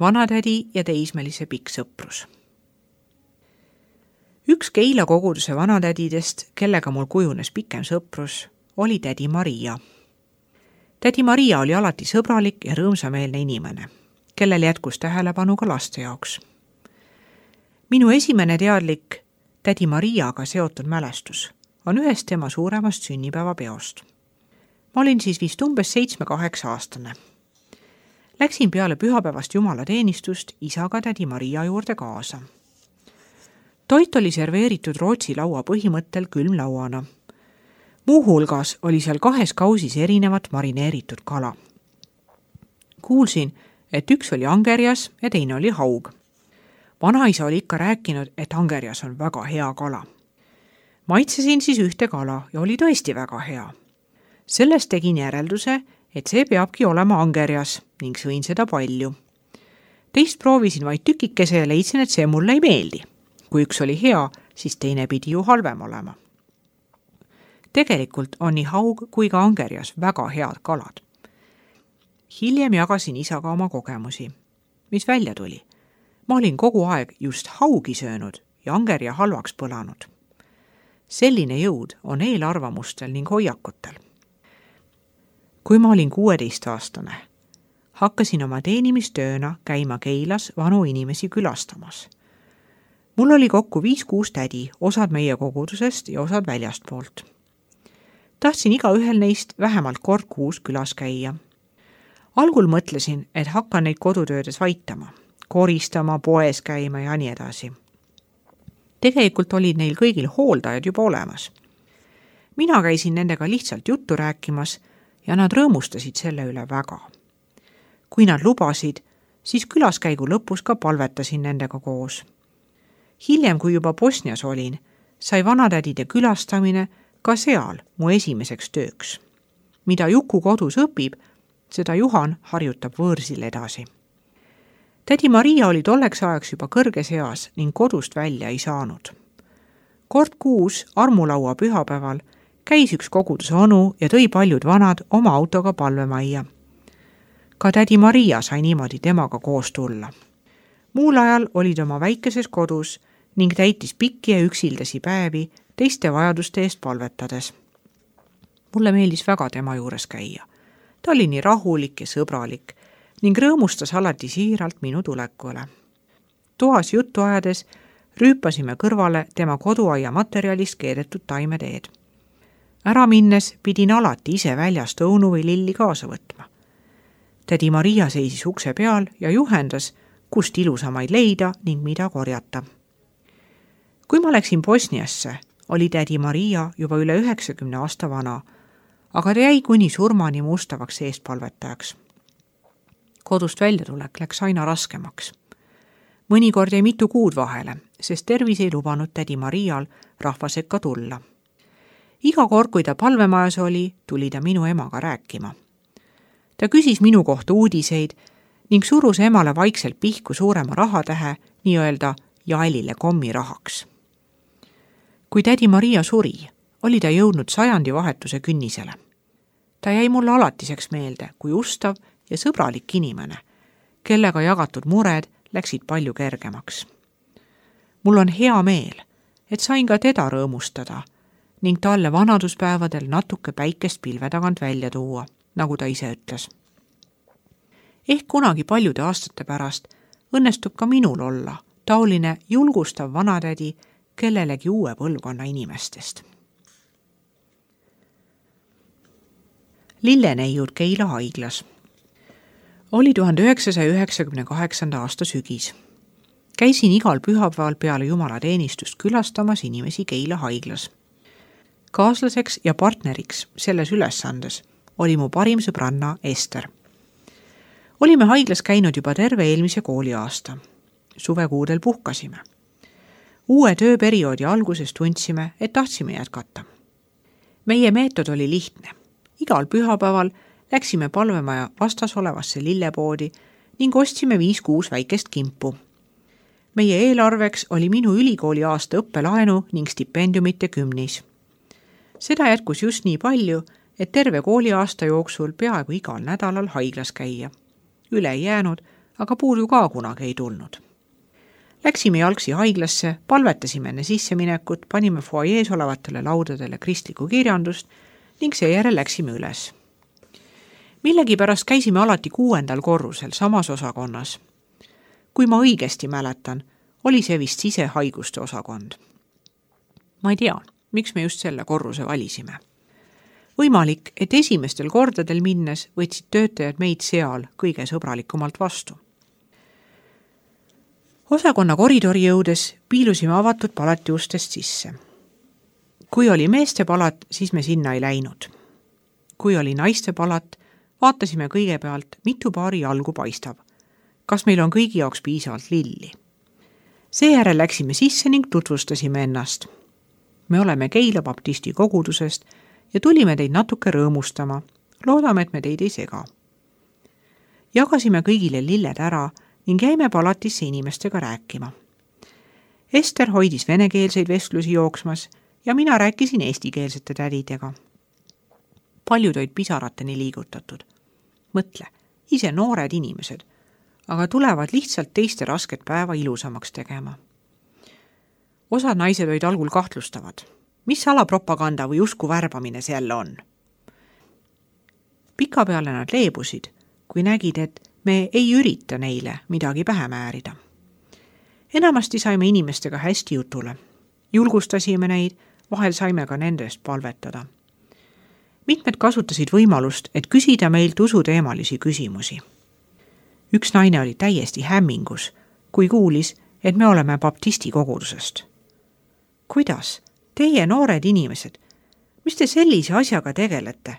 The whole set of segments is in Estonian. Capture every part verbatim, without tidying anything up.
vanatädi ja teismelise pikk sõprus. Üks Keila koguduse vanatädidest, kellega mul kujunes pikem sõprus, oli tädi Maria. Tädi Maria oli alati sõbralik ja rõõmsameelne inimene, kellel jätkus tähelepanu ka laste jaoks. Minu esimene teadlik tädi Mariaga seotud mälestus on ühest tema suuremast sünnipäevapeost. Ma olin siis vist umbes seitsme-kaheksa aastane. Läksin peale pühapäevast jumalateenistust isaga tädi Maria juurde kaasa. Toit oli serveeritud Rootsi laua põhimõttel külmlauana. Muu hulgas oli seal kahes kausis erinevat marineeritud kala. Kuulsin, et üks oli angerjas ja teine oli haug. Vanaisa oli ikka rääkinud, et angerjas on väga hea kala. Maitsesin siis ühte kala ja oli tõesti väga hea. Sellest tegin järelduse, et see peabki olema angerjas ning sõin seda palju. Teist proovisin vaid tükikese ja leidsin, et see mulle ei meeldi. Kui üks oli hea, siis teine pidi ju halvem olema. Tegelikult on nii haug kui ka angerjas väga head kalad. Hiljem jagasin isaga oma kogemusi. Mis välja tuli? Ma olin kogu aeg just haugi söönud ja angerja halvaks põlanud. Selline jõud on eelarvamustel ning hoiakutel. Kui ma olin kuueteist aastane, hakkasin oma teenimistööna käima Keilas vanu inimesi külastamas. Mul oli kokku viis-kuus tädi, osad meie kogudusest ja osad väljastpoolt. Tahtsin iga ühel neist vähemalt kord kuus külas käia. Algul mõtlesin, et hakkan neid kodutöödes vaitama, koristama, poes käima ja nii edasi. Tegelikult olid neil kõigil hooldajad juba olemas. Mina käisin nendega lihtsalt juttu rääkimas ja nad rõõmustasid selle üle väga. Kui nad lubasid, siis külaskäigu lõpus ka palvetasin nendega koos. Hiljem, kui juba Bosnias olin, sai vanatädide külastamine ka seal mu esimeseks tööks. Mida Juku kodus õpib, seda Juhan harjutab võõrsil edasi. Tädi Maria oli tolleks ajaks juba kõrges eas ning kodust välja ei saanud. Kord kuus armulaua pühapäeval käis üks koguduse onu ja tõi paljud vanad oma autoga palvemajja. Ka tädi Maria sai niimoodi temaga koos tulla. Muul ajal olid oma väikeses kodus ning täitis pikki ja üksildasi päevi teiste vajaduste eest palvetades. Mulle meeldis väga tema juures käia. Ta oli nii rahulik ja sõbralik ning rõõmustas alati siiralt minu tulekule. Toas juttu ajades rüüpasime kõrvale tema koduaia materjalist keedetud taimeteed. Ära minnes pidin alati ise väljast õunu või lilli kaasa võtma. Tädi Maria seisis ukse peal ja juhendas, kust ilusamaid leida ning mida korjata. Kui ma läksin Bosniasse, oli tädi Maria juba üle üheksakümne aasta vana, aga ta jäi kuni surmani mustavaks eestpalvetajaks. Kodust väljatulek läks aina raskemaks. Mõnikord jäi mitu kuud vahele, sest tervis ei lubanud tädi Marial rahva sekka tulla. Iga kord, kui ta palvemajas oli, tuli ta minu emaga rääkima. Ta küsis minu kohta uudiseid ning surus emale vaikselt pihku suurema rahatähe, nii öelda jaelile kommirahaks. Kui tädi Maria suri, oli ta jõudnud sajandi vahetuse künnisele. Ta jäi mulle alatiseks meelde kui ustav ja sõbralik inimene, kellega jagatud mured läksid palju kergemaks. Mul on hea meel, et sain ka teda rõõmustada ning talle vanaduspäevadel natuke päikest pilve tagant välja tuua, nagu ta ise ütles. Ehk kunagi paljude aastate pärast õnnestub ka minul olla taoline julgustav vanatädi kellelegi uue põlvkonna inimestest. Lilleneiud Keila haiglas. Oli tuhande üheksasaja üheksakümne kaheksanda aasta sügis. Käisin igal pühapäeval peale jumalateenistust külastamas inimesi Keila haiglas. Kaaslaseks ja partneriks selles ülesandes oli mu parim sõbranna Ester. Olime haiglas käinud juba terve eelmise kooliaasta. Suvekuudel puhkasime. Uue tööperioodi alguses tundsime, et tahtsime jätkata. Meie meetod oli lihtne. Igal pühapäeval läksime palvemaja vastas olevasse lillepoodi ning ostsime viis-kuus väikest kimpu. Meie eelarveks oli minu ülikooli aasta õppelaenu ning stipendiumite kümnis. Seda jätkus just nii palju, et terve kooliaasta jooksul peaaegu igal nädalal haiglas käia. Üle ei jäänud, aga puudu ka kunagi ei tulnud. Läksime jalgsi haiglasse, palvetasime enne sisseminekut, panime fuajees olevatele laudadele kristlikku kirjandust ning seejärel läksime üles. Millegipärast käisime alati kuuendal korrusel samas osakonnas. Kui ma õigesti mäletan, oli see vist sisehaiguste osakond. Ma ei tea, miks me just selle korruse valisime. Võimalik, et esimestel kordadel minnes võtsid töötajad meid seal kõige sõbralikumalt vastu. Osakonna koridori jõudes piilusime avatud palati ustest sisse. Kui oli meeste palat, siis me sinna ei läinud. Kui oli naiste palat, vaatasime kõigepealt, mitu paari jalgu paistab. Kas meil on kõigi jaoks piisavalt lilli? Seejärel läksime sisse ning tutvustasime ennast. Me oleme Keila baptisti kogudusest ja tulime teid natuke rõõmustama. Loodame, et me teid ei sega. Jagasime kõigile lilled ära ning jäime palatisse inimestega rääkima. Ester hoidis venekeelseid vestlusi jooksmas ja mina rääkisin eestikeelsete tädidega. Paljud olid pisarateni liigutatud. Mõtle, ise noored inimesed, aga tulevad lihtsalt teiste rasket päeva ilusamaks tegema. Osad naised olid algul kahtlustavad. Mis salapropaganda või usku värbamine see jälle on? Pikapeale nad leebusid, kui nägid, et me ei ürita neile midagi pähe määrida. Enamasti saime inimestega hästi jutule. Julgustasime neid, vahel saime ka nende eest palvetada. Mitmed kasutasid võimalust, et küsida meilt usuteemalisi küsimusi. Üks naine oli täiesti hämmingus, kui kuulis, et me oleme baptisti kogudusest. Kuidas? Teie noored inimesed, mis te sellise asjaga tegelete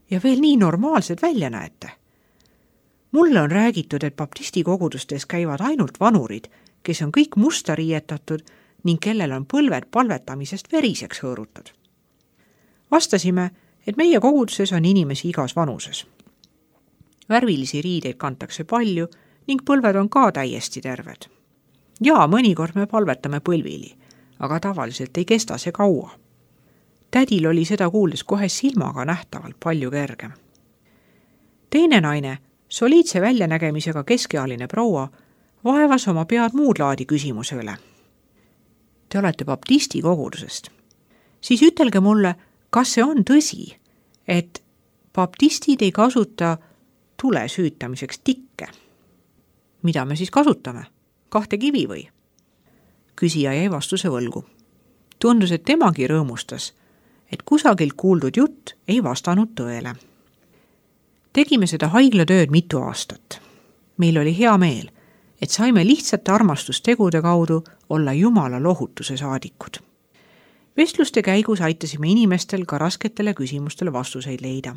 ja veel nii normaalsed välja näete? Mulle on räägitud, et baptisti kogudustes käivad ainult vanurid, kes on kõik musta riietatud ning kellel on põlved palvetamisest veriseks hõõrutud. Vastasime, et meie koguduses on inimesi igas vanuses. Värvilisi riideid kantakse palju ning põlved on ka täiesti terved. Ja mõnikord me palvetame põlvili, aga tavaliselt ei kesta see kaua. Tädil oli seda kuuldes kohe silmaga nähtavalt palju kergem. Teine naine, soliidse väljanägemisega keskealine proua, vaevas oma pead muud laadi küsimuse üle. Te olete baptisti kogudusest. Siis ütelge mulle, kas see on tõsi, et baptistid ei kasuta tule süütamiseks tikke? Mida me siis kasutame? Kahte kivi või? Küsija jäi vastuse võlgu. Tundus, et temagi rõõmustas, et kusagilt kuuldud jutt ei vastanud tõele. Tegime seda haiglatööd mitu aastat. Meil oli hea meel, et saime lihtsate armastustegude kaudu olla Jumala lohutuse saadikud. Vestluste käigus aitasime inimestel ka rasketele küsimustele vastuseid leida.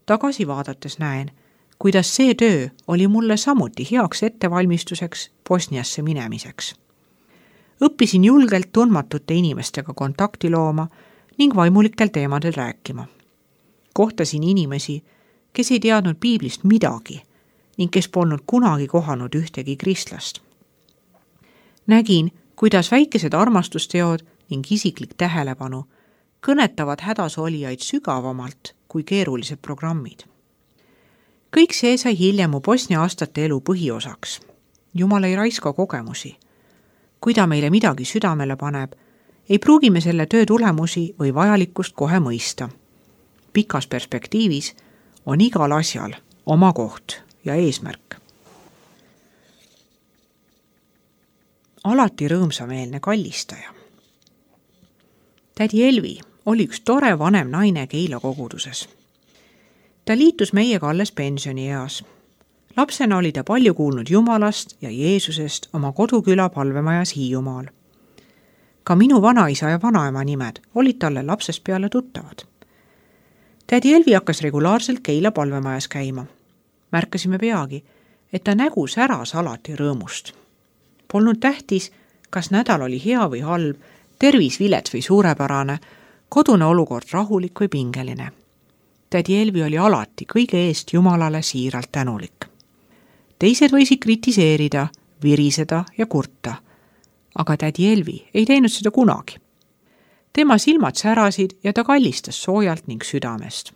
Tagasi vaadates näen, kuidas see töö oli mulle samuti heaks ettevalmistuseks Bosniasse minemiseks. Õppisin julgelt tundmatute inimestega kontakti looma ning vaimulikel teemadel rääkima. Kohtasin inimesi, kes ei teadnud piiblist midagi ning kes polnud kunagi kohanud ühtegi kristlast. Nägin, kuidas väikesed armastusteod ning isiklik tähelepanu kõnetavad hädas olijaid sügavamalt kui keerulised programmid. Kõik see sai hiljem mu Bosnia aastate elu põhiosaks. Jumal ei raiska kogemusi. Kui ta meile midagi südamele paneb, ei pruugime selle töö tulemusi või vajalikkust kohe mõista. Pikas perspektiivis on igal asjal oma koht ja eesmärk. Alati rõõmsameelne kallistaja. Tädi Elvi oli üks tore vanem naine Keila koguduses. Ta liitus meiega alles pensionieas. Lapsena oli ta palju kuulnud Jumalast ja Jeesusest oma koduküla palvemajas Hiiumaal. Ka minu vanaisa ja vanaema nimed olid talle lapsest peale tuttavad. Tädi Elvi hakkas regulaarselt Keila palvemajas käima. Märkasime peagi, et ta nägu säras alati rõõmust. Polnud tähtis, kas nädal oli hea või halb, tervis vilets või suurepärane, kodune olukord rahulik või pingeline. Tädi Elvi oli alati kõige eest Jumalale siiralt tänulik. Teised võisid kritiseerida, viriseda ja kurta, aga tädi Elvi ei teinud seda kunagi. Tema silmad särasid ja ta kallistas soojalt ning südamest.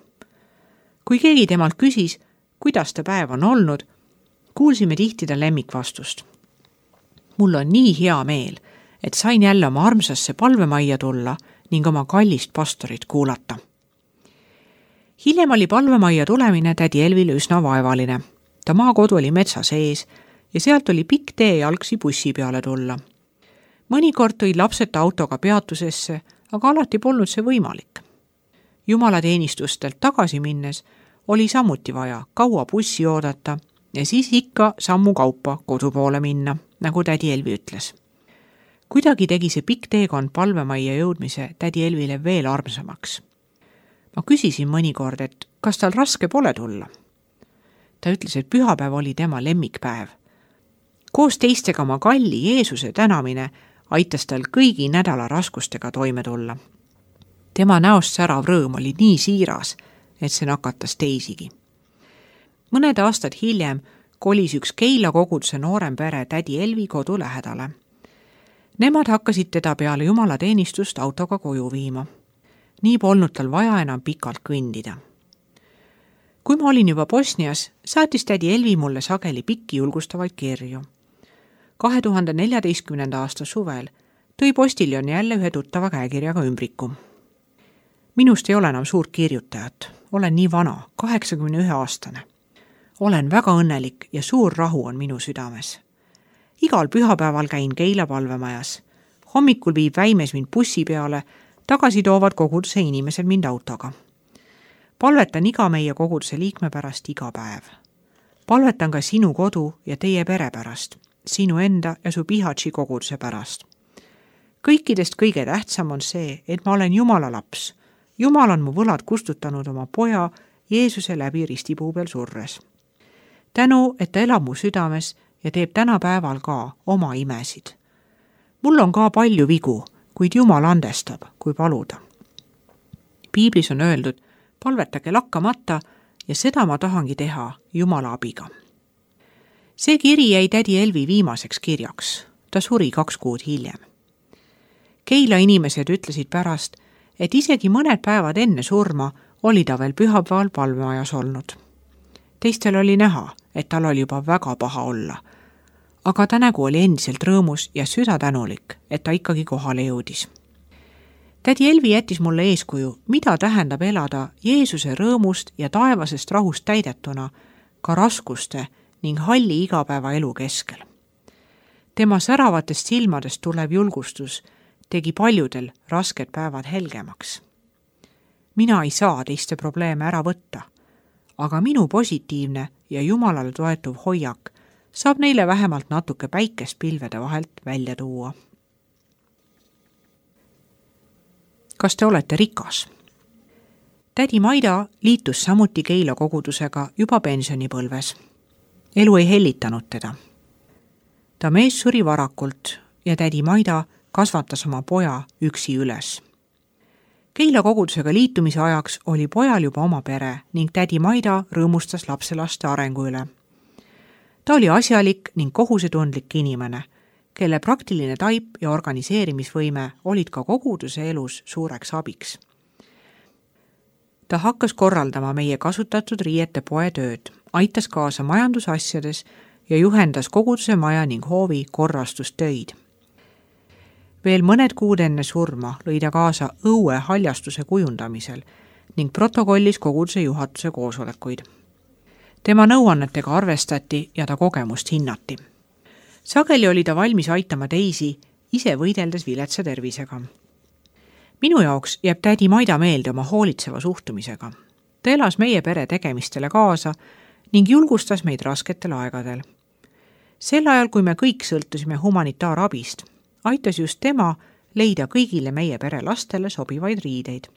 Kui keegi temalt küsis, kuidas ta päev on olnud, Kuulsime tihti ta lemmikvastust. Mul on nii hea meel, et sain jälle oma armsasse palvemajja tulla ning oma kallist pastorit kuulata. Hiljem oli palvemajja tulemine tädi Elvile üsna vaevaline. Ta maakodu oli metsa sees ja sealt oli pikk tee jalgsi bussi peale tulla. Mõnikord tõid lapsed autoga peatusesse, aga alati polnud see võimalik. Jumalateenistustelt tagasi minnes oli samuti vaja kaua bussi oodata ja siis ikka sammu kaupa kodu poole minna, nagu tädi Elvi ütles. Kuidagi tegi see pikk teekond palvemajja jõudmise tädi Elvile veel armsamaks. Ma küsisin mõnikord, et kas tal raske pole tulla. Ta ütles, et pühapäev oli tema lemmikpäev. Koos teistega oma kalli Jeesuse tänamine aitas tal kõigi nädala raskustega toime tulla. Tema näost särav rõõm oli nii siiras, et see nakatas teisigi. Mõned aastad hiljem kolis üks Keila koguduse noorem pere tädi Elvi kodu lähedale. Nemad hakkasid teda peale jumalateenistust autoga koju viima. Nii polnud tal vaja enam pikalt kõndida. Kui ma olin juba Bosnias, saatis tädi Elvi mulle sageli pikki julgustavaid kirju. kahe tuhande neljateistkümnenda aasta suvel tõi postiljon jälle ühe tuttava käekirjaga ümbriku. Minust ei ole enam suurt kirjutajat. Olen nii vana, kaheksakümne ühe aastane. Olen väga õnnelik ja suur rahu on minu südames. Igal pühapäeval käin Keila palvemajas. Hommikul viib Väimes mind bussi peale, tagasi toovad koguduse inimesed mind autoga. Palvetan iga meie koguduse liikme pärast iga päev. Palvetan ka sinu kodu ja teie pere pärast, sinu enda ja su Pihatši koguduse pärast. Kõikidest kõige tähtsam on see, et ma olen Jumala laps. Jumal on mu võlad kustutanud oma poja Jeesuse läbi ristipuu peal surres. Tänu, et ta elab mu südames ja teeb tänapäeval ka oma imesid. Mul on ka palju vigu, kuid Jumal andestab, kui paluda. Piiblis on öeldud, palvetage lakkamata ja seda ma tahangi teha Jumala abiga. See kiri jäi tädi Elvi viimaseks kirjaks. Ta suri kaks kuud hiljem. Keila inimesed ütlesid pärast, et isegi mõned päevad enne surma oli ta veel pühapäeval palvemajas olnud. Teistel oli näha, et tal oli juba väga paha olla, aga ta nägu oli endiselt rõõmus ja süda tänulik, et ta ikkagi kohale jõudis. Tädi Elvi jättis mulle eeskuju, mida tähendab elada Jeesuse rõõmust ja taevasest rahust täidetuna ka raskuste ning halli igapäeva elu keskel. Tema säravatest silmadest tulev julgustus tegi paljudel rasked päevad helgemaks. Mina ei saa teiste probleeme ära võtta, aga minu positiivne ja Jumalale toetuv hoiak saab neile vähemalt natuke päikest pilvede vahelt välja tuua. Kas te olete rikas? Tädi Maida liitus samuti Keila kogudusega juba pensionipõlves. Elu ei hellitanud teda. Ta mees suri varakult ja tädi Maida kasvatas oma poja üksi üles. Keila kogudusega liitumise ajaks oli pojal juba oma pere ning tädi Maida rõõmustas lapselaste arengu üle. Ta oli asjalik ning kohusetundlik inimene, kelle praktiline taip ja organiseerimisvõime olid ka koguduse elus suureks abiks. Ta hakkas korraldama meie kasutatud riiete poe tööd, aitas kaasa majandusasjades ja juhendas koguduse maja ning hoovi korrastustöid. Veel mõned kuud enne surma lõi ta kaasa õue haljastuse kujundamisel ning protokollis koguduse juhatuse koosolekuid. Tema nõuannetega arvestati ja ta kogemust hinnati. Sageli oli ta valmis aitama teisi, ise võideldes viletsa tervisega. Minu jaoks jääb tädi Maida meelde oma hoolitseva suhtumisega. Ta elas meie pere tegemistele kaasa ning julgustas meid rasketel aegadel. Sel ajal, kui me kõik sõltusime humanitaarabist, aitas just tema leida kõigile meie pere lastele sobivaid riideid.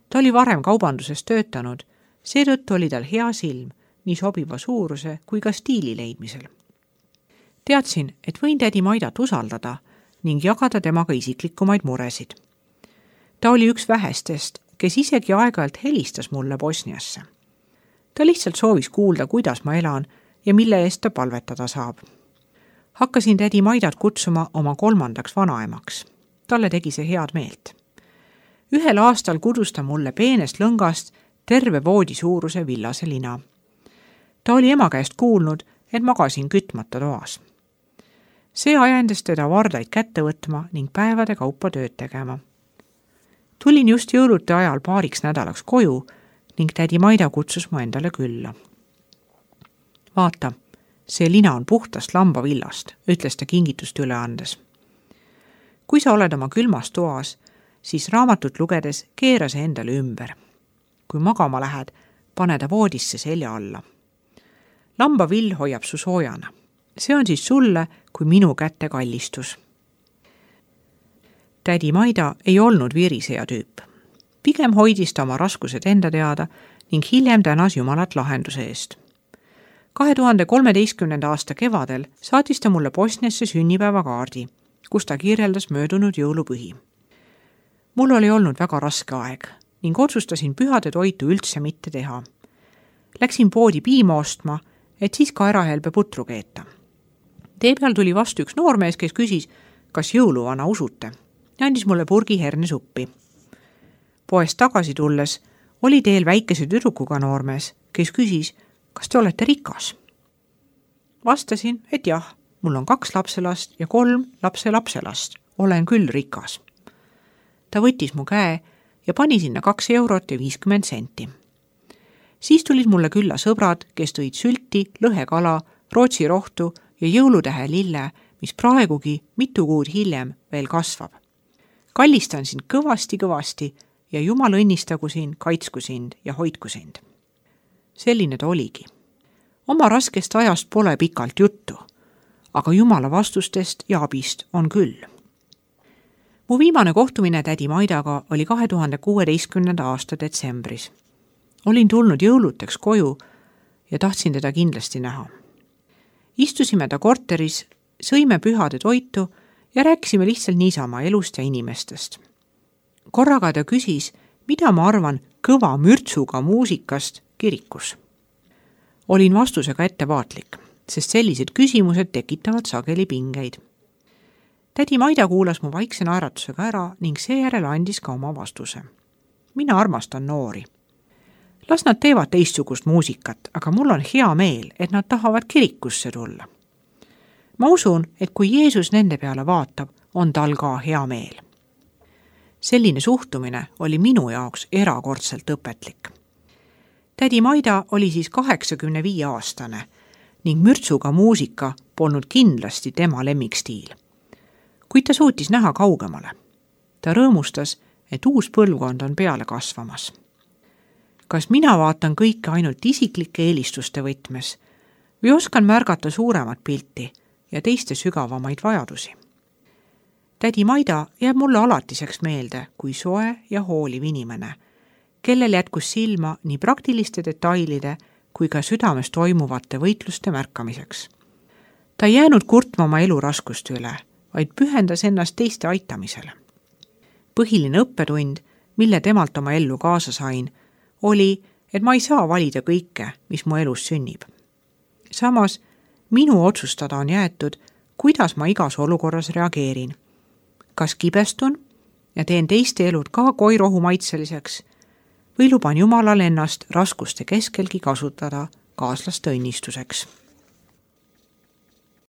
Ta oli varem kaubanduses töötanud, seetõttu oli tal hea silm nii sobiva suuruse kui ka stiili leidmisel. Teadsin, et võin tädi Maidat usaldada ning jagada temaga isiklikumaid muresid. Ta oli üks vähestest, kes isegi aeg-ajalt helistas mulle Bosniasse. Ta lihtsalt soovis kuulda, kuidas ma elan ja mille eest ta palvetada saab. Hakkasin tädi Maidat kutsuma oma kolmandaks vanaemaks. Talle tegi see head meelt. Ühel aastal kudus ta mulle peenest lõngast terve voodi suuruse villase lina. Ta oli ema käest kuulnud, et magasin kütmata toas. See ajendas teda vardaid kätte võtma ning päevade kaupa tööd tegema. Tulin just jõulute ajal paariks nädalaks koju ning tädi Maida kutsus mu endale külla. Vaata, see lina on puhtast lambavillast, ütles ta kingitust üle andes. Kui sa oled oma külmas toas, siis raamatut lugedes keera see endale ümber. Kui magama lähed, pane ta voodisse selja alla. Lambavill hoiab su soojana. See on siis sulle kui minu kätte kallistus. Tädi Maida ei olnud viriseja tüüp. Pigem hoidis ta oma raskused enda teada ning hiljem tänas Jumalat lahenduse eest. kahe tuhande kolmeteistkümnenda aasta kevadel saatis ta mulle Bosniasse sünnipäevakaardi, kus ta kirjeldas möödunud jõulupühi. Mul oli olnud väga raske aeg ning otsustasin pühade toitu üldse mitte teha. Läksin poodi piima ostma, et siis ka ärahelbe putru keeta. Tee peal tuli vastu üks noormees, kes küsis, kas jõuluvana usute, ja andis mulle purgi hernesuppi. Poest tagasi tulles oli teel väikese tüdrukuga noormees, kes küsis, kas te olete rikas? Vastasin, et jah, mul on kaks lapselast ja kolm lapse lapselast. Olen küll rikas. Ta võttis mu käe ja pani sinna kaks eurot ja viiskümmend senti. Siis tulid mulle külla sõbrad, kes tõid sülti, lõhekala, rootsi rohtu ja jõulutähe lille, mis praegugi mitu kuud hiljem veel kasvab. Kallistan sind kõvasti-kõvasti ja Jumal õnnistagu sind, kaitsku sind ja hoidku sind. Selline ta oligi. Oma raskest ajast pole pikalt juttu, aga Jumala vastustest ja abist on küll. Mu viimane kohtumine tädi Maidaga oli kahe tuhande kuueteistkümnenda aasta detsembris. Olin tulnud jõuluteks koju ja tahtsin teda kindlasti näha. Istusime ta korteris, sõime pühade toitu ja rääkisime lihtsalt niisama elust ja inimestest. Korraga ta küsis, mida ma arvan kõva mürtsuga muusikast kirikus. Olin vastusega ettevaatlik, sest sellised küsimused tekitavad sageli pingeid. Tädi Maida kuulas mu vaikse naeratusega ära ning seejärel andis ka oma vastuse. Mina armastan noori. Las nad teevad teistsugust muusikat, aga mul on hea meel, et nad tahavad kirikusse tulla. Ma usun, et kui Jeesus nende peale vaatab, on tal ka hea meel. Selline suhtumine oli minu jaoks erakordselt õpetlik. Tädi Maida oli siis kaheksakümne viie aastane ning mürtsuga muusika polnud kindlasti tema lemmikstiil. Kuid ta suutis näha kaugemale. Ta rõõmustas, et uus põlvkond on peale kasvamas. Kas mina vaatan kõike ainult isiklike eelistuste võtmes või oskan märgata suuremat pilti ja teiste sügavamaid vajadusi? Tädi Maida jääb mulle alatiseks meelde kui soe ja hooliv inimene, kellel jätkus silma nii praktiliste detailide kui ka südames toimuvate võitluste märkamiseks. Ta ei jäänud kurtma oma elu raskuste üle, vaid pühendas ennast teiste aitamisele. Põhiline õppetund, mille temalt oma ellu kaasa sain, oli, et ma ei saa valida kõike, mis mu elus sünnib. Samas, minu otsustada on jäetud, kuidas ma igas olukorras reageerin. Kas kibestun ja teen teiste elud ka koirohu maitseliseks või luban Jumalal ennast raskuste keskelgi kasutada kaaslaste õnnistuseks.